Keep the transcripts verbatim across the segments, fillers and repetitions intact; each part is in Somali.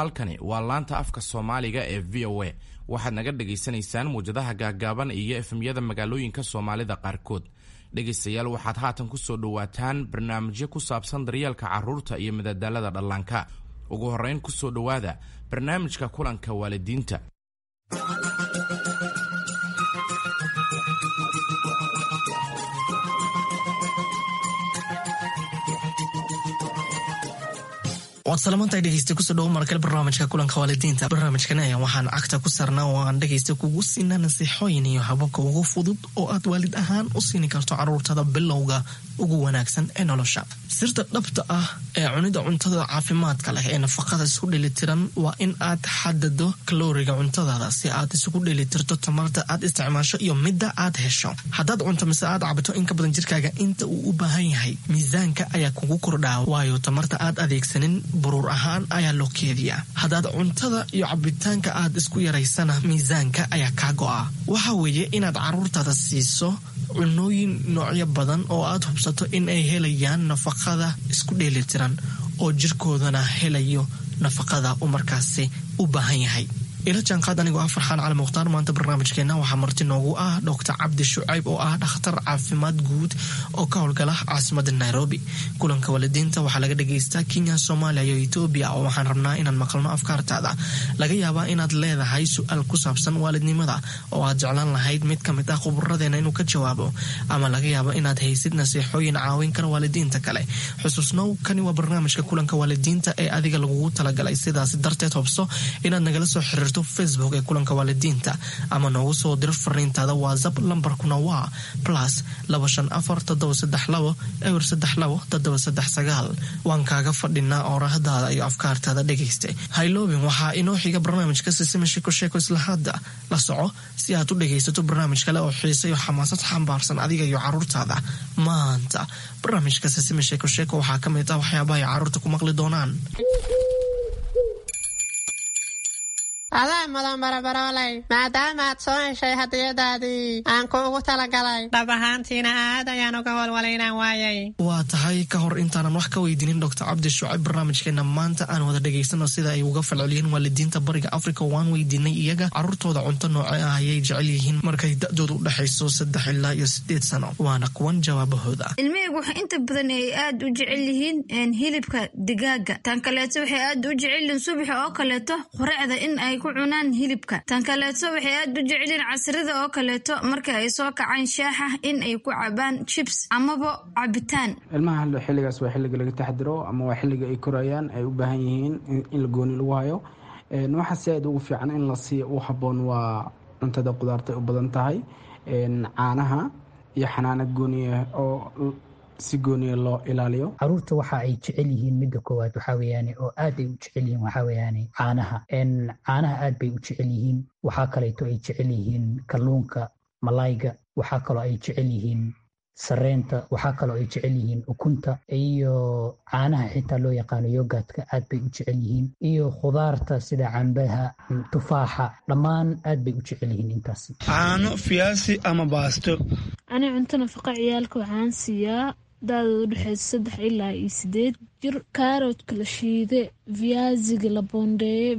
Halkani waa laanta afka Soomaaliga ee V O A. Waxaad naga dhagaysanaysaan muwjadaha gaaggaaban iyo F M-yada magaalooyinka Soomaalida qaarkood. Dhegaystayaal, waxaad haatan ku soo dhowaataan barnaamijyo ku saabsan daryeelka carruurta iyo madadaalada dhallaanka. Ugu horrayn, ku soo dhowaada barnaamijka kulanka waalidiinta. Waad salamantahay, dhegeysta. Kusoo dhawo markale barnaamijka kulanka waalidiinta. Barnaamijkan ayaa waxaan cagta ku saarnaa oo aan dhegeysta kugu siinaa nasiixooyin iyo hababka ugu fudud oo aad waalid ahaan u siini karto caruurtada bilowga ugu wanaagsan ee nolosha. Sirta dhabta ah ee cunida cuntada caafimaadka leh ee nafaqada isku dheelitiran waa in aad xadado kalooriga cuntadaada si aad isugu dheelitirto tamarta aad isticmaasho iyo midda aad hesho. Haddaad cunto mise aad cabto in ka badan jirkaaga inta uu u baahan yahay, miisaanka ayaa kugu kordhaa, waayo tamarta aad adeegsanin buruur ahaan ayaa loo keediyaa. Haddaad cuntada iyo cabitaanka aad isku yaraysana, miisaanka ayaa kaa go'a. Waxa weeye inaad caruurtaada siiso cunooyin noocyo badan oo aad hubsato in ay helayaan nafaqada isku dheelitiran oo jirkoodana helayo nafaqada uu markaasi u baahan yahay. Ila jaanqaad anigoo ah Farxaan Cali Mukhtaar. Maanta barnaamijkeena waxaa marti noogu ah Doctor Cabdi Shucayb oo ah dhakhtar caafimaad guud oo ka howlgala caasimada Nairobi. Kulanka waalidiinta waxaa laga dhagaystaa Kenya, Soomaaliya iyo Etoobiya, oo waxaan rabnaa inaan maqalno afkaartaada. Laga yaabaa inaad leedahay su-aal ku saabsan waalidnimada oo aad jeclaan lahayd mid kamid ah khuburadeena inuu ka jawaabo, ama laga yaabo inaad haysid nasiixooyin caawin kara waalidiinta kale. Xusuusnow, kani waa barnaamijka kulanka waalidiinta ee adiga lagugu talagalay. Sidaas darteed, hubso inaad nagala soo xiriirto Facebook ee kulanka waalidiinta ama noogu soo diro fariintaada WhatsApp. Lambarkuna waa plus laba shan afar toddoba saddex labo eber saddex labo toddoba saddex sagaal. Waan kaaga fadhinaa oorahdaada iyo afkaartaada, dhegaysta. Hayloobin, waxaa inoo xiga barnaamijka Sisima Sheeko Sheeko. Isla hadda la soco si aad u dhegaysato barnaamij kale oo xiise iyo xamaasad xambaarsan adiga iyo caruurtaada. Maanta barnaamijka Sisima Sheeko Sheeko waxaa ka mid ah waxyaabaha ay caruurta ku maqli doonaan. Adaa mudan, barabarooley, maadaama aad soo heshay hadiyadaadii aan kuugu talagalay. Dhab ahaantiina aad ayaan uga walwalay inaan waayay. Waa tahay. Ka hor intaanan wax ka weydiinin Doctor Cabdi Shucayb barnaamijkeena maanta, aan wada dhegaysano sida ay uga falceliyeen waalidiinta Bariga Africa. Waan weydiinay iyaga caruurtooda cunto nooce ah ayay jecel yihiin markay da-doodu u dhexayso saddex ilaa iyo sideed sano. Waana kuwan jawaabahooda. Ilmahaygu waxay inta badan ay aad u jecel yihiin hilibka digaaga. Tan kaleeto, waxay aad u jecel yihiin subaxa oo kaleeto quracda in ay ku cunaan hilibka. Tan kaleeto, waxay aad u jecelyihiin casrida oo kaleeto marka ay soo kacaan shaaxa in ay ku cabaan chips amaba cabitaan. Ilmaha xilligaas waa xilliga laga taxdiro ama waa xilliga ay korayaan, ay u baahan yihiin in la gooni lagu hayo. Waxa si aad ugu fiican in la siiyo u habboon waa cuntada qudaarta u badan tahay, caanaha iyo xanaano gooniya oo si gooniya loo ilaaliyo. Caruurta waxa ay jecel yihiin, midda koowaad waxaa weeyaane oo aad ay u jecel yihiin, waxaa weeyaane caanaha. Caanaha aad bay u jecel yihiin. Waxaa kaleeto ay jecel yihiin kalluunka, malayga. Waxaa kaloo ay jecel yihiin sareenta. Waxaa kaloo ay jecel yihiin ukunta iyo caanaha xitaa loo yaqaano yogurtka aad bay u jecel yihiin, iyo khudaarta sida cambaha, tufaaxa, dhammaan aad bay u jecel yihiin intaas. Caano, fiyaasi ama baasto. Ani cunto nafaqa ciyaalka waxaan siiyaa da-dooda udhexeysa saddex ilaa iyo sideed jir kaaroodka la shiide, viyaasiga la boondeeye,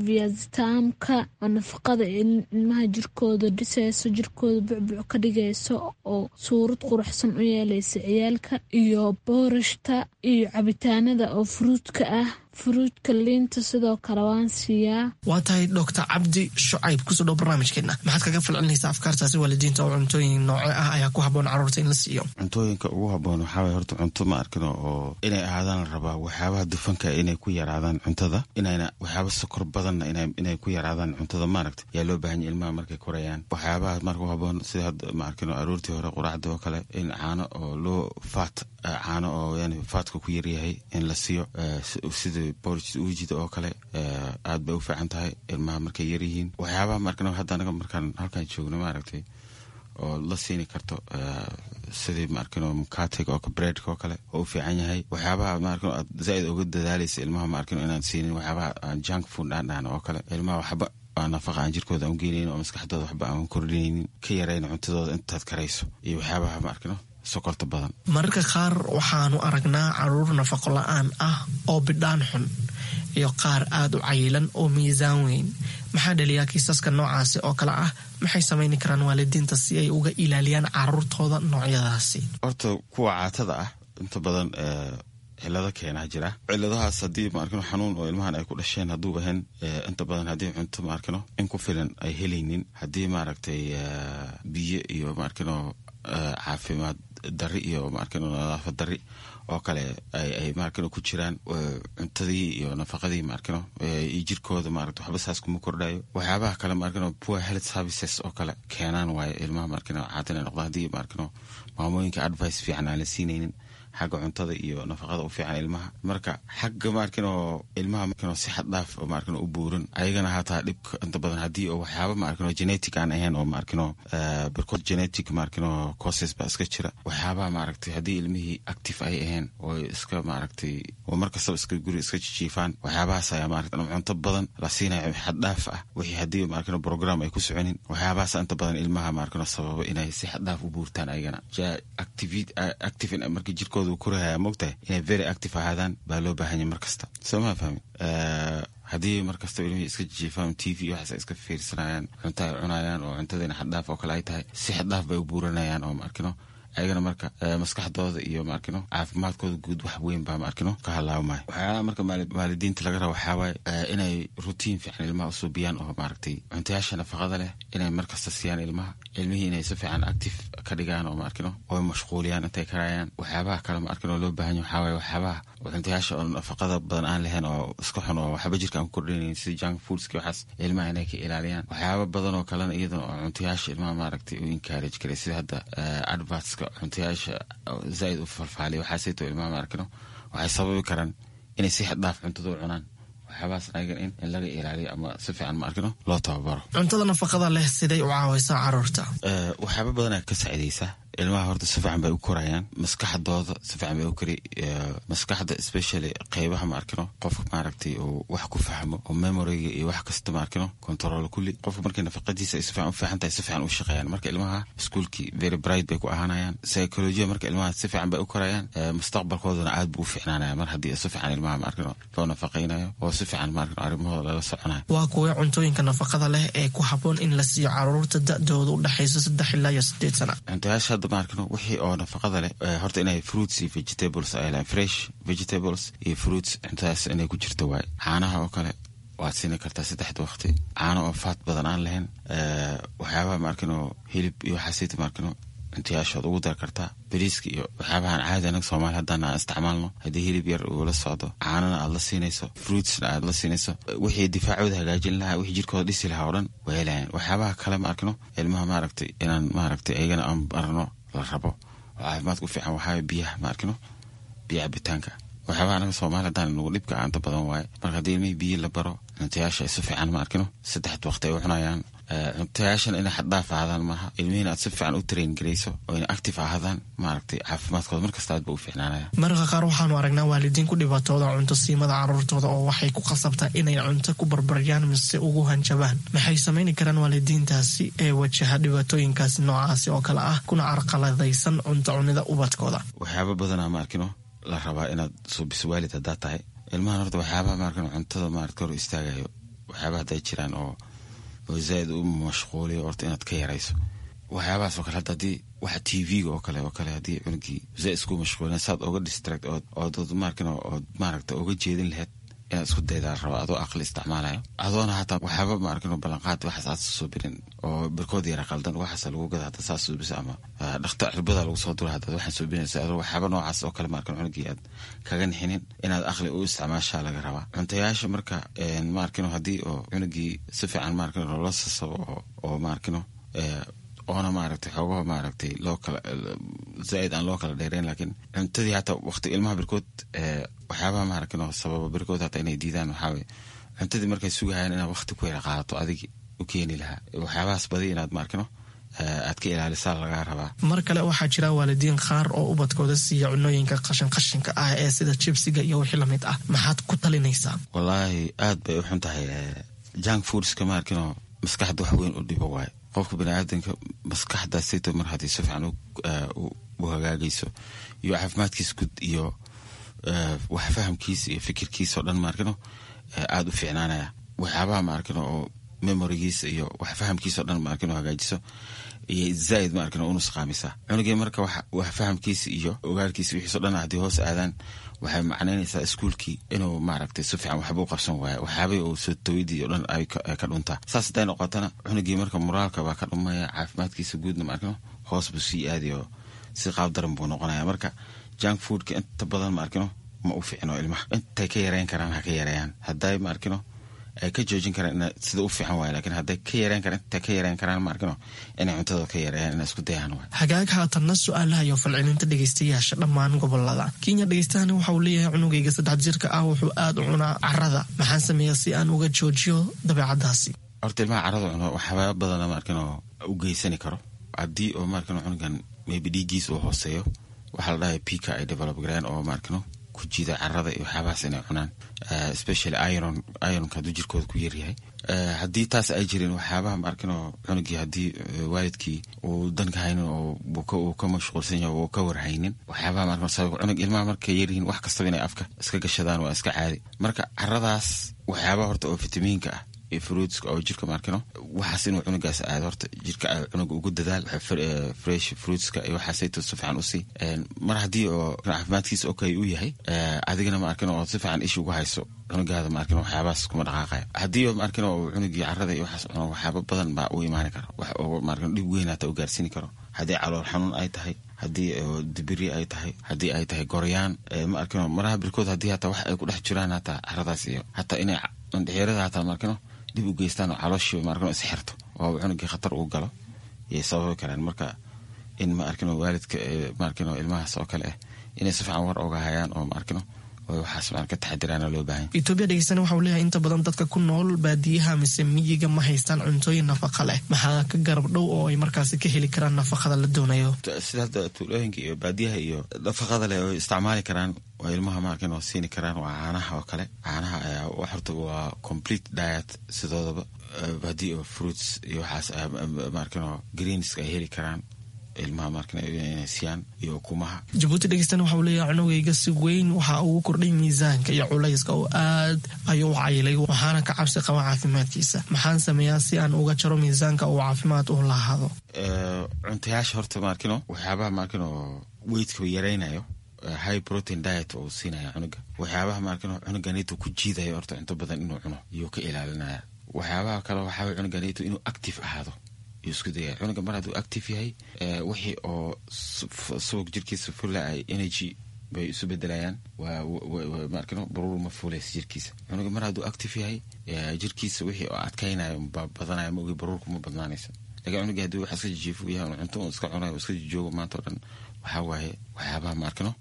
viyaasitaamka oo nafaqada ilmaha jirkooda dhiseyso, jirkooda bucbuc ka dhigayso oo suurad quruxsan u yeeleysa ciyaalka, iyo boorashta iyo cabitaanada oo furuudka ah, furuudka, liinta sidoo kale waan siiyaa. Waa tahay. Doctor Cabdi Shucayb, kusoo dhow barnaamijkeena. Maxaad kaga falcelinaysaa afkaartaasi waalidiinta oo cuntooyin nooce ah ayaa ku habboon caruurta in la siiyo? Cuntooyinka ugu habboon waxaa waye horta cunto ma arkino oo inay ahaadaan la rabaa waxyaabaha dufanka inay ku yaraadaan cuntada, inayna waxyaaba sokor badanna inay ku yaraadaan cuntada, maaragta, yaa loo baahan yahay ilmaha markay korayaan. Waxyaabaha marka u habboon sida hadda, ma arkino, aroortii hore quraacda oo kale in caano oo loo faat, caano oo yani faatka ku yaryahay in la siiyo, sida porridge uujida oo kale, aad bay u fiican tahay ilmaha markay yaryihiin. Waxyaabaha markan hadda anaga markaan halkaan joogno, maaragtay, oo la siini karto sidii, ma arkino, mukatiga oo breadka oo kale oo u fiican yahay. Waxyaabaha, ma arkino, aad zaaid uga dadaalaysa ilmaha, ma arkino, inaan siinin waxyaabaha aan junk food aan dhahno oo kale, ilmaha waxba aan nafaqa aan jirkooda aan u geenaynin oo maskaxdooda waxba aan kordhinaynin, ka yarayn cuntadooda intaad karayso, iyo waxyaabaha, ma arkino, sokorta badan. Mararka qaar waxaanu aragnaa caruur nafaqo la-aan ah oo bidhaan xun. iyo qaar aada u cayilan oo miisaan weyn. Maxaa dhaliyaa kiisaska noocaasi oo kale ah? Maxay samayni karaan waalidiinta si ay uga ilaaliyaan caruurtooda noocyadaasi? Horta kuwa caatada ah inta badan cilado keenaa jira. Ciladahaas haddii maarkino xanuun oo ilmahan ay ku dhasheen hadduu ahayn, inta badan haddii cunto maarkino in ku filan ay helaynin, haddii maaragtay biyo iyo maarkino caafimaad dari iyo maarkino nadaafad dari oo kale ay maarkino ku jiraan, cuntadii iyo nafaqadii maarkino iyo jirkooda maaragta waxba saas kuma kordhayo. Waxyaabaha kale maarkino poor health services oo kale keenaan waayo ilmaha maarkino caata inay noqdaan, haddii maarkino maamooyinka advice fiican aan la siinaynin xagga cuntada iyo nafaqada u fiican ilmaha. Marka xagga maarkino ilmaha maarkino si xad dhaaf oo maarkino u buuran ayagana hataa dhibka inta badan haddii oo waxyaaba maarkino genetic aan ahayn oo maarkino barkood genetic maarkino causes baa iska jira. Waxyaabaha maaragtay haddii ilmihii active ay ahayn oo iska maaragtay oo mar kastaba iska guri iska jijiifaan, waxyaabahaas ayaa maaragtay cunto badan la siinayo xad dhaaf ah, wixii haddii maarkino program ay ku soconin, waxyaabahaas inta badan ilmaha maarkino sababa inay si xad dhaaf u buurtaan ayagana. Active marka jirkooda korahaya mogtahay inay very active ahaadaan baa loo baahanya mar kasta, soo maa fahmi? Haddii mar kasta ilmihii iska jijiifaan, T V waxaas ay iska fiirsanayaan, cunto ay cunayaan oo cuntadiina xaddhaaf oo kale ay tahay, si xaddhaaf bay u buuranayaan oo maarkino ayagana marka maskaxdooda iyo maarkino caafimaadkooda guud wax weyn baa maarkino ka halaabmaya. Waxyaalaha marka waalidiinta laga raba waxaa waaye inay routine fiican ilmaha usuubiyaan oo maaragtay cuntayaasha nafaqada leh inay markasta siiyaan ilmaha, ilmihii inay si fiican active ka dhigaan oo maarkino oo mashquuliyaan intay karayaan. Waxyaabaha kale maarkino loo baahan yahay waxaa waaye waxyaabaha cuntayaasha oo nafaqada badan aan lahayn oo iska xun oo waxba jirka aan ku kordhinayn, sida junk foodski, waxaas ilmaha inay ka ilaaliyaan. Waxyaaba badan oo kalena iyadana oo cuntayaasha ilmaha maaragtay u encourage karay, sida hadda advertska cuntayaasha zaaid u falfaaliya, waxaasayto ilmaha maarkino waxay sababi karaan inay si xad dhaaf cuntada u cunaan. Waxyaabahaas ayagan in in laga ilaaliyo ama si fiican maarkino loo tababaro. Cuntada nafaqada leh siday u caawaysaa caruurta? Waxyaaba badanaa ka saacidaysa ilmaha. Horta si fiican bay u korayaan, maskaxdooda si fiican bay u kori, maskaxda especially qeybaha maarkino qofka maaragtay uu wax ku fahmo oo memoryga iyo wax kasta maarkino control kulli. Qofka markay nafaqadiisa ay si fiican u fiican tahay, si fiican u shaqeeyaan. Marka ilmaha iskuulkii very bright bay ku ahaanayaan, psychology marka ilmaha si fiican bay u korayaan, mustaqbalkoodana aad buu u fiicnaanaya mar haddii si fiican ilmaha maarkino loo nafaqaynayo oo si fiican maarkino arrimahooda lala soconayo. Waa kuwee cuntooyinka nafaqada leh ee ku habboon in la siiyo caruurta da-dooda u dhexayso saddex ilaa iyo sideed sana? Cuntayaasha hadda maarkino wixii oo nafaqada leh horta inay fruits iyo vegetables ay lahayn, fresh vegetables iyo fruits, cuntadaas inay ku jirto waaye. Caanaha oo kale waad siini kartaa saddexda waqti, caano oo faat badan aan lahayn. Waxyaabaha maarkino hilib iyo waxaasita maarkino cuntayaashood ugu dar kartaa, bariiska iyo waxyaabahan caadi anaga Soomaali haddaan aan isticmaalno. Haddii hilib yar uu la socdo, caanana aad la siinayso, fruitsna aad la siinayso, wixii difaacooda hagaajin lahaa, wixii jirkooda dhisi lahaa oo dhan way helayaan. Waxyaabaha kale ma arkino ilmaha maaragtay inaan maaragtay ayagana aan barno la rabo oo caafimaadka u fiican waxaa biyaha maarkino, biyo cabitaanka. Waxyaabaha anaga Soomaali haddaan nagu dhibka aanta badan waaye. Marka haddii ilmihii biyo la baro, cuntayaasha ay si fiican ma arkino saddexda waqti ay u cunayaan, cuntayaashana inay xaddhaaf ahaadaan maaha, ilmihiina aad si fiican u train garayso oo inay active ahaadaan, maaragtay caafimaadkooda markasta aad ba u fiicnaanaya. Mararka qaar waxaanu aragnaa waalidiin ku dhibaatooda cunto siimada caruurtooda oo waxay ku khasabtaa inay cunto ku barbaryaan mise ugu hanjabaan. Maxay samayni karaan waalidiintaasi ee wajaha dhibaatooyinkaasi noocaasi oo kale ah kuna carqaladaysan cunto cunida ubadkooda? Waxyaaba badanaa ma arkino la rabaa inaad suubiso waalid haddaad tahay ilmahan. Horta waxyaabaha maarkino cuntada maaragta hor istaagayo, waxyaabaha hadday jiraan oo oo zaaid u mashquuliyo, horta inaad ka yarayso waxyaabahaas oo kale. Hadda haddii waxa T V-ga oo kale oo kale haddii cunugii zaaid isku mashquulina, saad oga distract ood ood maarkino ood maaragta oga jeedin lahayd inaad isku daydaa rabo, adoo aqli isticmaalayo, adoona hataa waxyaaba maarkino ballanqaad waxaas aad soo birin oo barkood yara qaldan waxaas lagu gada hadda saas suubisa ama dhakta cirbada lagu soo dura haddaad waxaan suubinaysa, adoo waxyaaba noocaas oo kale maarkino cunugii aad kaga nixinin, inaad aqli u isticmaashaa laga rabaa cuntayaasha. Marka maarkino haddii oo cunugii si fiican maarkino loola sasabo oo oo maarkino oona maaragtay xoogaha maaragtay loo kala zaaid aan loo kala dheereyn, laakiin cuntadii hataa waqti ilmaha barkood waxyaabaha maaragtay sababa barkood hataa inay diidaan waxaa waye cuntadii markay sugahayaan inaad waqti ku yara qaadato adigi u keeni lahaa, waxyaabahaas badi inaad maarkino aad ka ilaalisaa lagaa rabaa. Mar kale waxaa jira waalidiin qaar oo ubadkooda siiya cunooyinka qashin qashinka ah ee sida jibsiga iyo wixii lamid ah. Maxaad ku talinaysaa? Wallaahi aad bay u xun tahay junk foodska maarkino, maskaxda wax weyn u dhibo waaye. Qofka baniaadanka maskaxdaasito mar haddii si fiican u hagaagayso iyo caafimaadkiisa guud iyo wax fahamkiisa iyo fikirkiisa oo dhan maarkino aada u fiicnaanaya. Waxyaabaha ma arkin oo memorigiisa iyo wax fahamkiisa o dhan ma arkin oo hagaajiso iyo zaaid ma arkin oo unusqaamisa cunugii. Marka wax fahamkiisa iyo ogaalkiisa wixiiso dhan haddii hoos aadaan, waxay macnaynaysaa iskuulkii inuu maaragtay si fiican waxba u qabsan waayo, waxyaabay uu soo tawidii o dhan ay ka dhuntaa. Saas hadday noqotana, cunugii marka moraalka baa ka dhumaya, caafimaadkiisa guudna ma arkino hoos buu sii aadayo, si qaab daran buu noqonaya. Marka junk foodka inta badan ma arkino ma u fiicno ilmaha. Intay ka yareyn karaan ha ka yareeyaan, hadday ma arkino ay ka joojin karaan ina sida u fiican waay, lakiin hadday ka yareen karaan, intay ka yareen karaan ma arkino inay cuntada ka yareeyaan, inay isku dayaan waay. Hagaag, haatanna su-aalaha iyo falcelinta dhegeystayaasha dhammaan gobolada Kenya. Dhegeystahani waxa uu leeyahay, cunugayga saddex jirka ah wuxuu aada u cunaa carada, maxaan sameeyaa si aan uga joojiyo dabeecadaasi? Horta ilmaha carada cuno waxyaaba badana ma arkino u geysani karo. Haddii oo ma arkino cunugan maybe dhiiggiis uu hooseeyo, waxaa la dhahay pika ay develop gareen oo ma arkino ku jiida carada iyo waxyaabahaas inay cunaan, especially iron, ironka hadduu jirkooda ku yaryahay. Haddii taas ay jirin, waxyaabaha ma arkino cunugii haddii waalidkii uu danka haynin oo uu ka mashquulsan yahay uu ka warhaynin, waxyaabaha ma arkino sabab cunug ilmaha markay yaryihiin wax kastaba inay afka iska gashadaan waa iska caadi. Marka caradaas waxyaabaha horta oo fitamiinka ah iyo fruitska oo jirka maarkino waxaas inuu cunugaas aado, horta jirka cunuga ugu dadaal fresh fruitska iyo waxaasayto si fiican usii. Mar haddii oo caafimaadkiisa okay uu yahay, adigana ma arkin oo si fiican ishi ugu hayso cunugaada, ma arkin waxyaabahaas kuma dhaqaaqaya. Haddii oo ma arkin oo cunugii carada iyo waxaas cuno, waxyaaba badan baa u imaani kara, wax oo ma arkin dhib weyn hata u gaarsiini karo, haddii calool xanuun ay tahay, haddii dibiri ay tahay, haddii ay tahay goryaan ma arkino maraha birkood, haddii hataa wax ay ku dhex jiraan hataa caradaas iyo hataa inay indhexeerada hataa ma arkino dib u geystaan oo calooshii ma arkino isxirto oo cunugii khatar uu galo yay sababi karaan. Marka in ma arkino waalidka ma arkino ilmahaas oo kale ah inay si fiican war oga hayaan oo ma arkino oo waxaas ma ka taxadiraana loo baahan. Etoobiya dhegeystana waxa uu leeyahay, inta badan dadka ku nool baadiyaha mise miyiga ma haystaan cuntooyin nafaqa leh, maxaa ka garab dhow oo ay markaasi ka heli karaan nafaqada la doonayo? Sida hadda tuulooyinka iyo baadiyaha iyo nafaqada leh oo isticmaali karaan oo ilmaha ma arkin oo siini karaan waa caanaha oo kale. Caanaha ayaa horta waa complete diet sidoodaba. Haddii oo fruits iyo waxaas ma arkin oo greenska ay heli karaan ilmaha markan inay siiyaan iyo ukumaha. Jabuuti dhegeystana waxa uu leeyahay, cunugayga si weyn waxa ugu kordhay miisaanka iyo culayska oo aad ayuu u cayilay, waxaana ka cabsi qaba caafimaadkiisa, maxaan sameeyaa si aan uga jaro miisaanka uu caafimaad u lahaado? Cuntayaasha horta maarkino waxyaabaha maarkino weightka yaraynayo, high protein diet oo siinaya cunuga, waxyaabaha maarkino cunuganito ku jiidayo horta cunto badan inuu cuno iyuu ka ilaalinaya. Waxyaabaha kale waxaa cunuganito inuu active ahaado yuu isku dayaya. Cunuga mar hadduu active yahay, wixii oo subag jirkiisa fula ay energy bay isu bedelayaan, maarkino baruur ma fuulaysa jirkiisa. Cunuga mar hadduu active yahay, jirkiisa wixii oo adkaynayo badanayo, ma ogi baruurku ma badnaanaysa. Lakin cunuga haddii wax iska jijiifo yahay, cunto un iska cunayo, iska jijoogo maanta o dhan, waxaa waaye waxyaabaha maarkino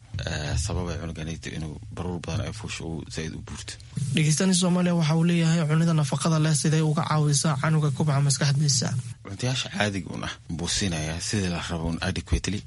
sababay cunuganito inuu baruur badan ay fuusho uu zaaid u buurto. Dhegeystani Soomaaliya waxa uu leeyahay, cunida nafaqada leh siday uga caawisaa canuga kubca maskaxdiisa? Cuntayaasha caadiga un ah buu siinayaa sidii la rabo un adequately,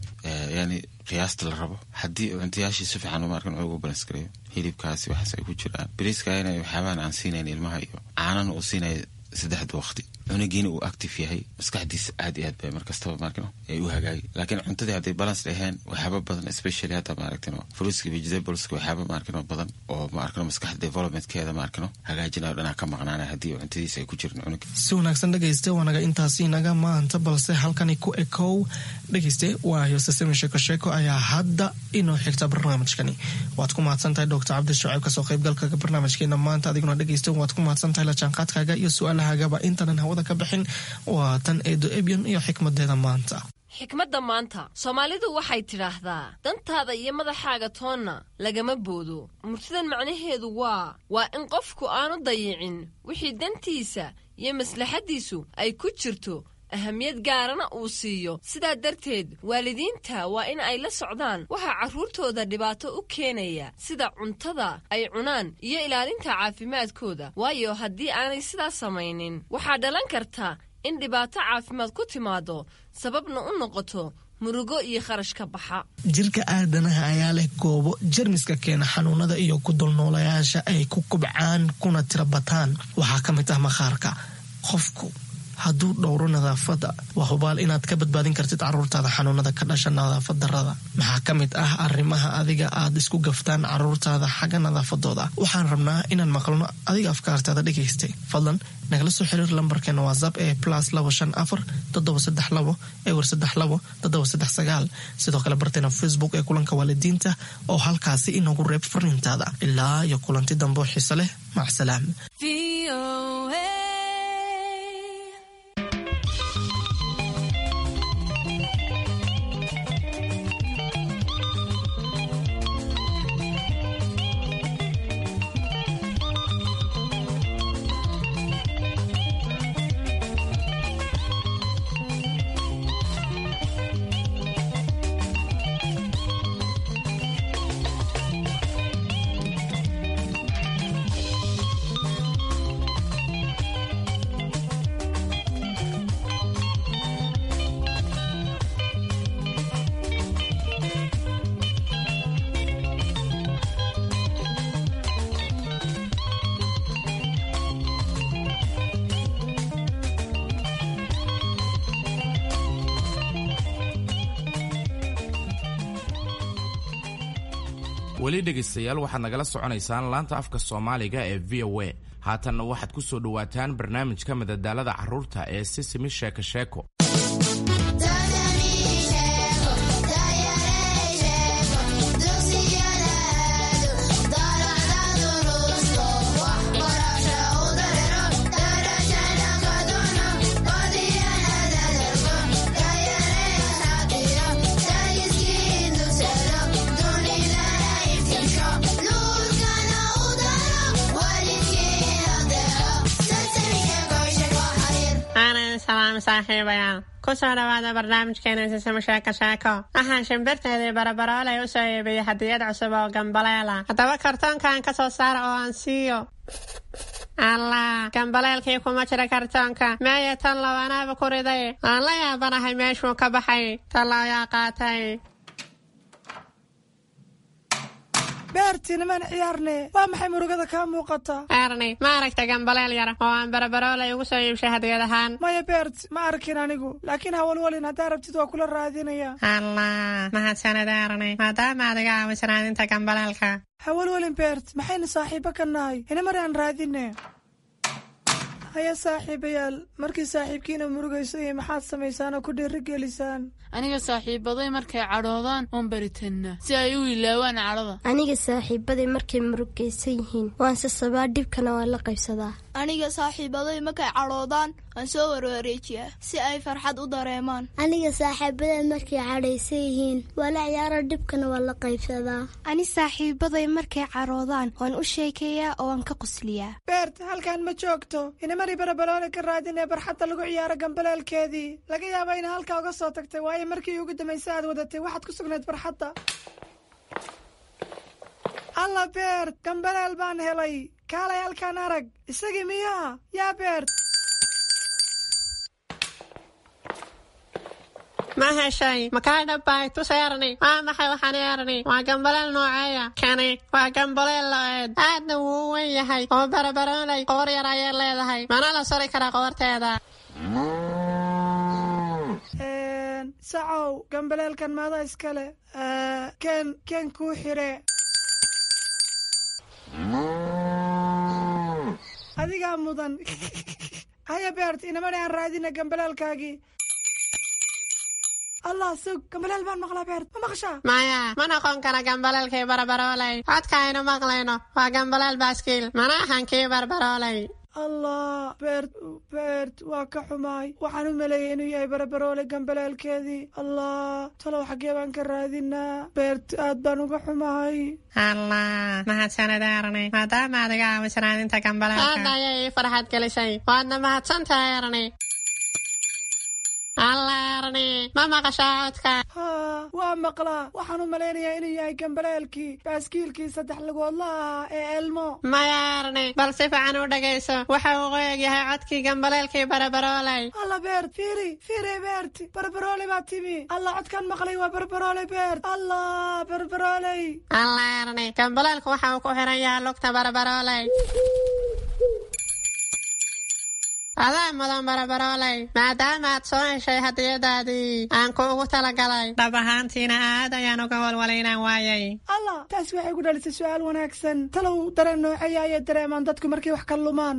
yani qiyaasta la rabo. Haddii cuntayaashii si fiican maarkan cunuga u balance gareeyo, hilibkaasi waxaas ay ku jiraan, bariiskaana waxyaabahan aan siinayn ilmaha iyo caanana uu siinaya saddexda waqti, cunugiina uu active yahay, maskaxdiisa aad iyo aad bay markastaba maarkino ay u hagaagi. Laakiin cuntadii hadday balance dhaheen, waxyaaba badan, especially hadda maaragtino fruitska, vegetables, waxyaaba maarkino badan oo maarkino maskaxda developmentkeeda maarkino hagaajinayo dhanaa ka maqnaanaya haddii cuntadiisa ay ku jirin cunuga. Si wanaagsan dhegayste, waanaga intaasi inaga maanta, balse halkani ku ekow dhegayste. Waa Yosesemi Sheeko Sheeko ayaa hadda inoo xigta barnaamijkani. Waad ku mahadsan tahay Doctor Cabdi Shucayb kasoo qaybgalka barnaamijkeena maanta. Adiguna dhegayste waad ku mahadsan tahay la jaanqaadkaaga iyo su-aalahagaba. Intaanan hawada ka bixin, waa tan Eedo Ebyon iyo xikmadeeda maanta. Xikmadda maanta, Soomaalidu waxay tidhaahdaa, dantaada iyo madaxaaga toonna lagama boodo. Murtidan macnaheedu waa waa in qofku aanu dayicin wixii dantiisa iyo maslaxaddiisu ay ku jirto, ahamiyad gaarana uu siiyo. Sidaa darteed waalidiinta waa in ay la socdaan waxaa carruurtooda dhibaato u keenaya, sida cuntada ay cunaan iyo ilaalinta caafimaadkooda, waayo haddii aanay sidaas samaynin waxaa dhalan karta in dhibaato caafimaad ku timaado, sababna u noqoto murugo iyo kharash ka baxa. Jirka aadanaha ayaa leh goobo jermiska keena xanuunada iyo ku dulnoolayaasha ay ku kubcaan kuna tira bataan. Waxaa ka mid ah maqaarka qofku. hadduu dhowro nadaafadda, waa hubaal inaad ka badbaadin kartid caruurtaada xanuunada ka dhasha nadaafad darrada. Maxaa ka mid ah arrimaha adiga aad isku gaftaan caruurtaada xagga nadaafadooda? Waxaan rabnaa inaan maqalno adiga afkaartaada dhegaystay. Fadlan nagala soo xiriir lambarkeena WhatsApp ee plus labo shan afar toddoba saddex labo ewer saddex labo toddoba saddex sagaal. Sidoo kale barteena Facebook ee Kulanka Waalidiinta oo halkaasi inoogu reeb fariintaada. Ilaa iyo kulanti dambe oo xiise leh, macsalaam. Weli dhegaystayaal, waxaad nagala soconaysaan laanta afka Soomaaliga ee V O A. Haatanna waxaad ku soo dhowaataan barnaamijka madadaalada carruurta ee Sisimi Sheeko Sheeko. Aanan salaam saaxiibayaal, kusoo dhawaada barnaamijkeena Sisimo Sheeko Sheeko. Waxaan shimbirteedii Barabaroolay u soo iibiyey hadiyad cusub oo gambaleela. Haddaba kartoonkan ka soo saara oo aan siiyo. Allah, gambaleelkii kuma jira kartoonka. Meeye tan low? Anaaba ku riday. Aan la yaabanahay meeshuu ka baxay. Tan ayaa qaatay. Beerti, nimaan ciyaarne. Waa maxay murugada kaa muuqata? Erni, ma aragta gambaleel yar oo aan Barabaroolay ugu soo iibshay hadiyad ahaan? Maya Beert, ma arkin anigu, laakiin hawalwalin, haddaa rabtid waa kula raadinaya. Allah, mahadsanid Erni, maadaama aad iga caawisan raadinta gambaleelka. Hawalwalin Beert, maxaynu saaxiibo ka nahay? Inamar aan raadine. Haya saaxiibayaal, markii saaxiibkiina murugayso iyo maxaad samaysaan oo ku dhiirigelisaan? Aniga saaxiibaday markay cadhoodaan oon baritannaa si ay u ilaawaan cadhada. Aniga saaxiibaday markay murugaysan yihiin waan sasabaa, dhibkana waan la qaybsadaa. Aniga saaxiibaday markay cadhoodaan waan soo warwareejiyaa si ay farxad u dareemaan. Aniga saaxiibaday markay cadhaysan yihiin waa la ciyaaro, dhibkana waan la qaybsadaa. Ani saaxiibaday markay cadhoodaan waan u sheekeeyaa oo waan ka qosliyaa. Beert, halkan ma joogto. Inamari Barabaloole ka raadinee barxadda lagu ciyaaro gambaleelkeedii. Laga yaaba ina halkaa uga soo tagtay, waayo markii ugu dambaysa aad wadatay waxaad ku sugnayd barxadda. Alla Beert, gambaleel baan helay. Kaalay halkaan arag. Isagii miyaa yaa Beert? Ma heshay? Makaa dhabbaay? Tus Erni. Waa maxay waxaan Erni? Waa gambaleel nooceeya kani? Waa gambaleel lo-eed, aadna wuu u weyn yahay oo Barabaroolay qoor yar ayay leedahay. Mana la sori karaa qoorteeda? Sacow, gambaleelkan maada iskale? Ken ken kuu xire. Adigaa mudan. Haya Beert, inamani aan raadina gambaleelkaagii. Allah, sug, gambaleel baan maqlaa. Beert, ma maqashaa? Maya, ma noqon kara gambaleelkii Barabaroolay. Codka aynu maqlayno waa gambaleel baaskiil, mana ahan kii Barbaroolay. Allah Beert, Beert, waa ka xumaay. Waxaan u maleeyay inuu yahay Barabaroole gambaleelkeedii. Allah, talow xaggee baan ka raadinaa? Beert, aad baan uga xumahay. Allah, mahadsanid Erni, maadaama aad iga caawisan raadinta gambaleelka. Aad ayay ii farxad gelisay, waadna mahadsantahay Erni. Allah Erni, ma maqashaa codka? Haa, waa maqlaa. Waxaan u malaynayaa inuu yahay gambaleelkii baaskiilkii saddex lugoodla ahaa ee Elmo. Maya Erni, bal si fiican u dhegayso. Waxa uu u eg yahay codkii gambaleelkii Barabaroolay. Alla Beert, fiiri fiiri. Beert, Barbaroole baa timi. Allah, codkan maqlay waa Barbaroole. Beert, Allah, Barbarooley. Allah Erni, gambaleelku waxa uu ku xiran yahay lugta Barabaroolay. Adaa mudan barabarooley, maadaama aad soo heshay hadiyadaadii aan kuugu talagalay. Dhab ahaantiina aad ayaan uga walwalay inaan waayay. Allah, taasi waxay ku dhalisay su'aal wanaagsan. Talow dareen nooceeya ayay dareemaan dadku markay wax ka lumaan?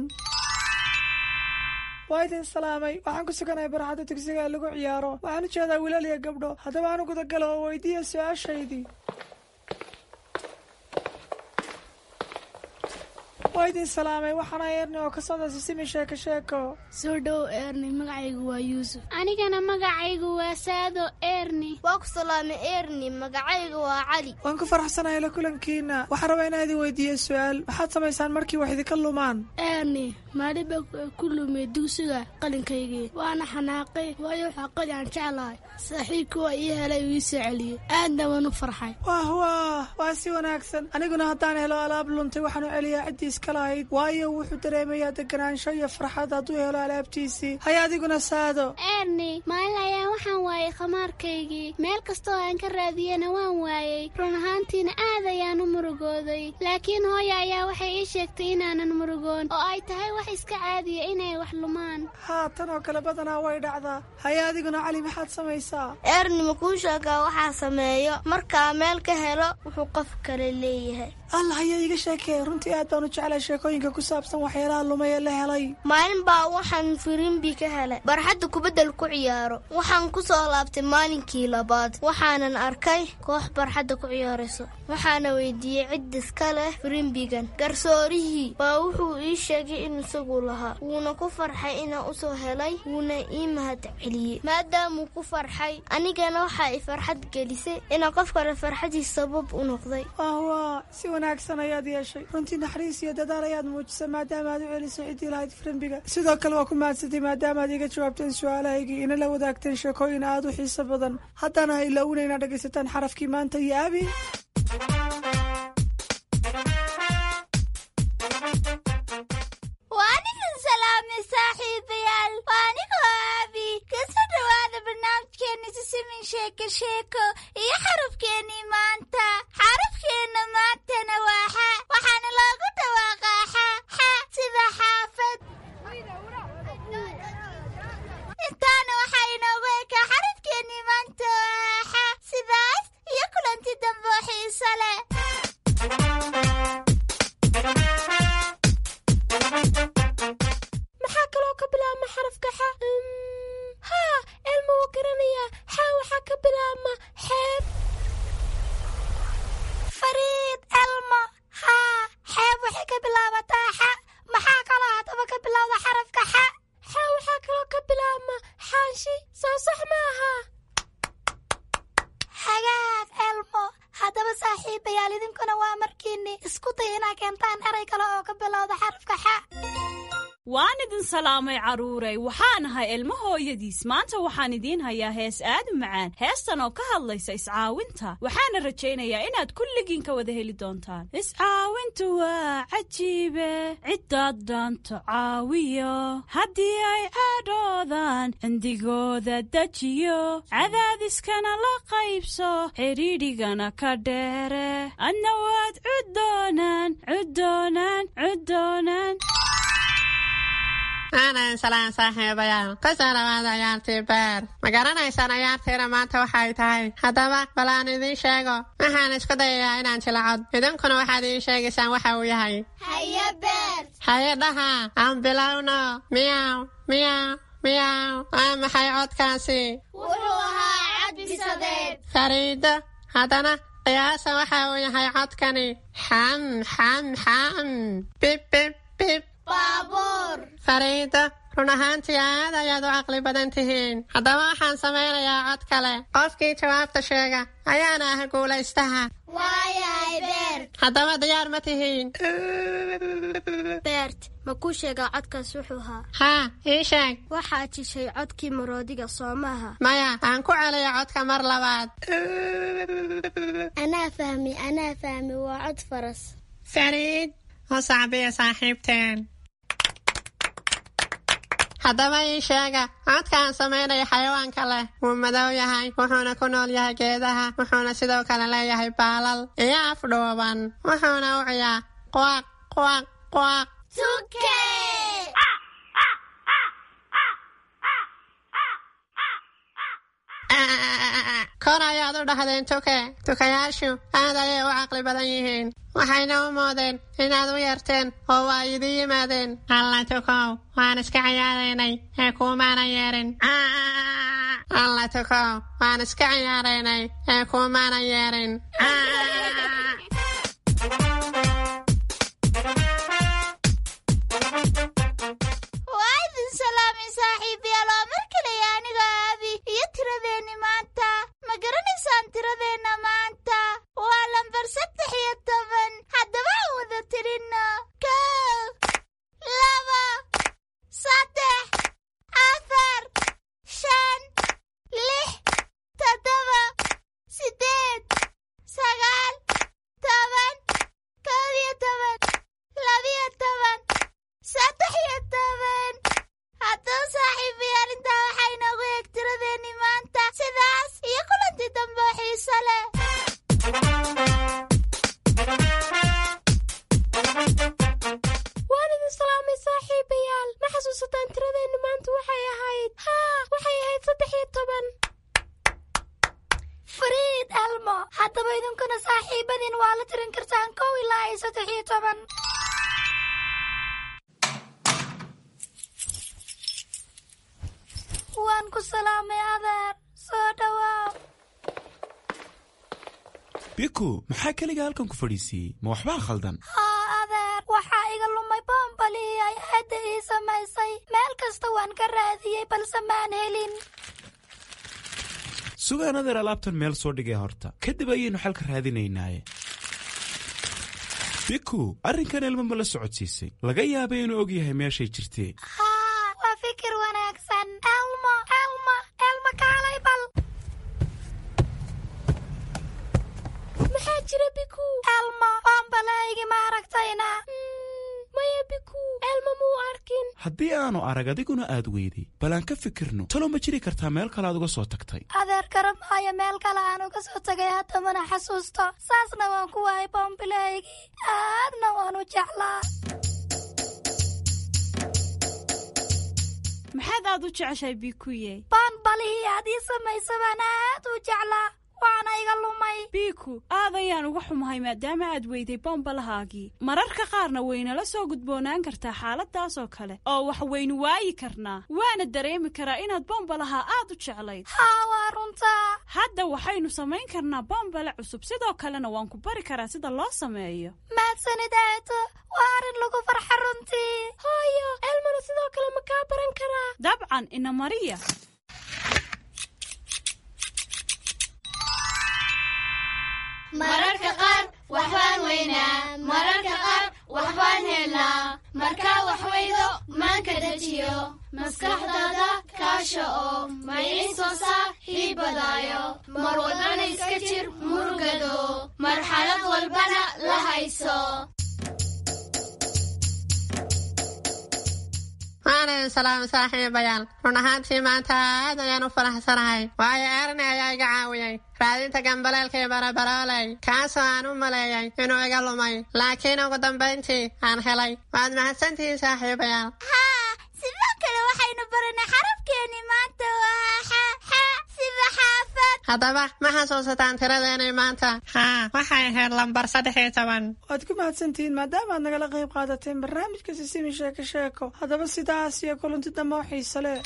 Waa idin salaamay. Waxaan ku suganahay barxadda dugsiga ee lagu ciyaaro. Waxaan u jeedaa wiilal iyo gabdho. Haddaba aan u gudagalo oo weydiiya su-aashaydii. Waa idin salaamay. Waxaana Eerni oo ka socda Sisimi Sheeko Sheeko. Soo dhow Eerni, magacaygu waa Yuusuf. Anigana magacaygu waa Saado Eerni. Waa ku salaamay Eerni, magacaygu waa Cali. Waan ku faraxsanahay la kulankiina. Waxaan rabaa inaan idin weydiiyo su-aal. Maxaad samaysaan markii wax idinka lumaan? Eerni, maalin baa ku lumay dugsiga qalinkaygii, waana xanaaqay, waayo waxaa qali aan jeclahay. Saaxiibkii waa ii helay, uu ii soo celiyey, aadna waan u farxay. Wah wah, waa si wanaagsan. Aniguna haddaan helo alaab luntay, waxaan u celiyaa ciddii iska lahayd, waayo wuxuu dareemayaa deganaansho iyo farxad hadduu helo alaabtiisii. Haya adiguna Saado. Eerni, maalin ayaan waxaan waayay khamaarkaygii. Meel kastoo aan ka raadiyena waan waayey. Run ahaantiina aad ayaan u murugooday, laakiin hooya ayaa waxay ii sheegtay inaanan murugoon oo ay tahay wax iska caadiya inay wax lumaan. Haa, tan oo kale badanaa way dhacdaa. Haya adiguna Cali, maxaad samaysaa? Eerni, ma kuu sheegaa waxaa sameeyo markaa meel ka helo wuxuu qof kale leeyahay? Allah, ayaa iiga sheekee. Runtii aad baan u jeclay sheekooyinka ku saabsan waxyaalaha lumay ee la helay. Maalin baa waxaan firimbi ka helay barxadda kubaddal ku ciyaaro. Waxaan ku soo laabtay maalinkii labaad, waxaanan arkay koox barxadda ku ciyaarayso. Waxaana weydiiyey cid iska leh firimbigan. Garsoorihii baa wuxuu ii sheegay in isagu lahaa, wuuna ku farxay inaan usoo helay, wuuna ii mahad celiyey. Maadaamuu ku farxay, anigana waxaa i farxad gelisay inaan qof kale farxadiis sabab u noqday. Wah, si wanaagsan ayaad yeeshay. Runtii naxariis iyo dadaal ayaad muujisay maadaama aad u celisay ciddii lahayd firimbiga. Sidoo kale waa ku mahadsantay maadaama aad iga jawaabteen su-aalahaygii, ina la wadaagteen sheekooyin aad u xiiso badan. Haddana ha ilaawina inaad dhegaysataan xarafkii maanta iyo Abi. Waan idin salaamay saaxiibayaal. Waa anigoo Aabi. Kasoo dhawaada barnaamijkeena Sisimin Sheeko Sheeko iyo xarafkeenii maanta. Xarafkeenna maantana waa xa, waxaana loogu dhawaaqaa xa xa sida xaafad. Intaana waxaa inoogu ekaa xarafkeenii maanta oo ah xa. Sidaas iyo kulanti dambe oo xiiso leh. Maxaa kaloo ka bilaabma xarafka xa? Haa, Elma wuu garanayaa. Xa waxaa ka bilaabma xeeb. Fariid, Elmo, haa, xeeb waxay ka bilaabataa xa. Maxaa kaloo haddaba ka bilowda xarafka xa? Xa waxaa kaloo ka bilaabma xaanshi. Soo sax maaha? Hagaag Elmo. Haddaba saaxiibayaal, idinkuna waa markiinni isku day inaa keentaan eray kale oo ka bilowda xarafka xa. Waan idin salaamay carruuray. Waxaan ahay Ilmo hooyadiis. Maanta waxaan idiin hayaa hees aad u macaan, heestan oo ka hadlaysa iscaawinta. Waxaana rajaynayaa inaad kulligiin ka wada heli doontaan. Iscaawintu waa cajiibe, ciddaad dhaanto caawiyo, haddii ay cadhoodaan cindigooda dejiyo, cadaadiskana la qaybso, xidhiidhigana ka dheere, adna waad cuddoonaan cuddoonaan cuddoonaan. Aanan salaan saaxiibayaal. Kusoo dhawaada ciyaartii beer. Ma garanaysaan ciyaartiina maanta waxay tahay? Haddaba bal aan idiin sheego. Waxaan isku dayayaa inaan jilacod, idinkuna waxaad ii sheegaysaan waxa uu yahay. Haye Beer. Haye dhaha, aan bilowno. Miyaw miyaw miyaw. Waa maxay codkaasi? Wuxuu ahaa cad bisadeed. Fariido, haddana qiyaasa waxa uu yahay codkani. Xam xam xam, bib bib bib. Baabuur. Fariido, run ahaantii aad ayaad u caqli badan tihiin. Haddaba waxaan samaynayaa cod kale. Qofkii jawaabta sheega ayaana ah guulaystaha. Waayahay Beert. Haddaba diyaar ma tihiin? Beert, ma kuu sheegaa codkaas wuxuu ahaa? Haa, ii sheeg. Waxaad jishay codkii maroodiga, soo maaha? Maya, aan ku celiyo codka mar labaad. Anaa fahmi, anaa fahmi, waa cod faras. Fariid, u sacbiya saaxiibteen. Haddaba ii sheega codka aan samaynaya xayawaanka leh. Wuu madow yahay, wuxuuna ku nool yahay geedaha, wuxuuna sidoo kale leeyahay baalal iyo af dhuuban, wuxuuna u ciyaa quaq quaq quaq. Tuke. Kor ayaad u dhahdeen tuke. Tukayaashu aad ayay u caqli badan yihiin, waxayna u moodeen inaad u yeerteen oo waa idin yimaadeen. Alla tukow, waan iska ciyaaraynay ee kuumaanan yeerin. Alla tukow, waan iska ciyaaraynay ee kuumaanan yeerin. Waa idin salaamay saaxiibayaal, waa mar kaleya aniga Aabi iyo tiradeenni maanta. Ma garanaysaan tiradeenna maanta? Waa lambar saddex iyo toban. Haddaba aan wada tirinno: kow, laba, saddex, afar, shan, lix, toddoba, siddeed, sagaal, toban, kow iyo toban, labiyo toban, saddex iyo toban. Haddaba saaxiibayaal, intaa waxaa inoogu eeg tiradeenni maanta. Sidaas iyo kulantii dambe oo xiiso leh. Waan idin salaamay saaxiibayaal. Ma xasuusataan tiradeennu maanta waxay ahayd? Haa, waxay ahayd saddex iyo toban. Fariid Elmo, haddaba idinkuna saaxiibadiin waa la tirin kartaan kow ilaa iyo saddex iyo toban. Waan ku salaamay adeer, soo dhawaaw. Biku, maxaa keliga halkan ku fadhiisiiyey? Ma waxbaa khaldan? Haa adeer, waxaa iga lumay boombalihii ay aadda ii samaysay. Meel kasta waan ka raadiyey balse maan helin. Sugaan adeer, alaabtan meel soo dhigay horta, kadib ayaynu xalka raadinaynaaye. Biku, arrinkan ilmo ma la socodsiisay? Laga yaabay inuu og yahay meeshay jirtee. Haa, waa fikir wanaagsan. Elmo, Elmo, Elmo, kaalay bal. Maxaa jira, Biku? Elmo, boombalahaygi ma aragtayna? Maya Biku, Elmo muu arkin. Haddii aanu arag adiguna aad weyday, bal aan ka fikirno. Talo ma jiri kartaa meel kale aad uga soo tagtay? Adeer, garamaayo meel kale aan uga soo tagay, hadda mana xasuusto. Saasna waan ku waayay boombilahaygii, aadna waan u jeclaa. Maxaad aad u jeceshahay, Bikuye? Boonbalihii aad ii samaysa baan aad u jeclaa, waana iga lumay. Biku, aad ayaan uga xumahay maadaama aad weyday bombalahaagii. Mararka qaarna waynala soo gudboonaan kartaa xaaladaas oo kale oo wax waynu waayi karnaa, waana dareemi karaa inaad bombalaha aad u jeclayd. Haa, waa runtaa. Hadda waxaynu samayn karnaa bombale cusub, sidoo kalena waan ku bari karaa sida loo sameeyo. Mahadsanid aato, waa arrin lagu farxa runtii. Hooyo, Elmona sidoo kale ma kaa baran karaa? Dabcan, ina mariya. Mararka qaar waxbaan weynaa, mararka qaar waxbaan helnaa. Markaa wax weydo maanka dejiyo, maskaxdaada kaasha oo maynin soo saaxiibadaayo. Mar walbana iska jir murugado, marxalad walbana la hayso. Waan idin salaamay saaxiibayaal. Run ahaantii maanta aad ayaan u faraxsanahay, waayo Erni ayaa iga caawiyey raadinta gambaleelkii barabarooley, kaasoo aan u maleeyay inuu iga lumay, laakiin ugu dambayntii aan helay. Waad mahadsantihiin saaxiibayaal. Haa, sidoo kale waxaynu baranay xarafkeenni maanta waa xa, xa sida xaafad. Haddaba ma xasuusataan tiradeenii maanta? Haa, waxay ahayd lambar saddex iyo toban. Waad ku mahadsantihiin maadaama aad nagala qayb qaadateen barnaamijka Sisimi Sheeko Sheeko. Haddaba sidaas iyo kulanti dambe oo xiiso leh.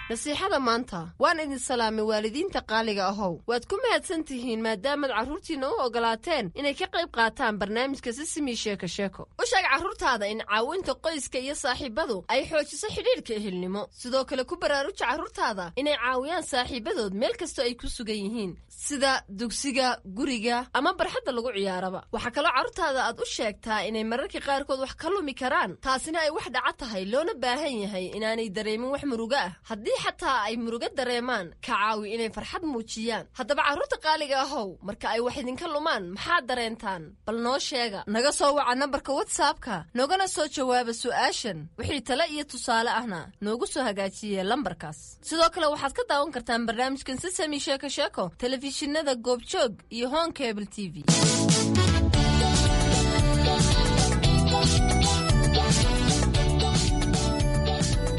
Nasiixada maanta. Waan idin salaamay waalidiinta qaaliga ahow. Waad ku mahadsan tihiin maadaamaad carruurtiinna u ogolaateen inay ka qayb qaataan barnaamijka Sisimi Sheeko Sheeko. U sheeg carruurtaada in caawinta qoyska iyo saaxiibadu ay xoojiso xidhiidhka ehelnimo. Sidoo kale ku baraaruja carruurtaada inay caawiyaan saaxiibadood meel kastoo ay ku sugan yihiin, sida dugsiga, guriga ama barxadda lagu ciyaaraba. Waxaa kaloo carruurtaada aad u sheegtaa inay mararka qaarkood wax ka lumi karaan, taasina ay wax dhaca tahay, loona baahan yahay inaanay dareemin wax murugo ah. Haddii xataa ay murugo dareemaan, ka caawi inay farxad muujiyaan. Haddaba carruurta qaaliga ahow, marka ay wax idinka lumaan maxaad dareentaan? Bal noo sheega. Naga soo waca nambarka WhatsAppka, noogana soo jawaaba su'aashan. Wixii tale iyo tusaale ahna noogu soo hagaajiye lambarkaas. Sidoo kale waxaad ka daawan kartaan barnaamijkan Sisami Sheeko Sheeko telefishinada Goobjoog iyo Horn Cable T V.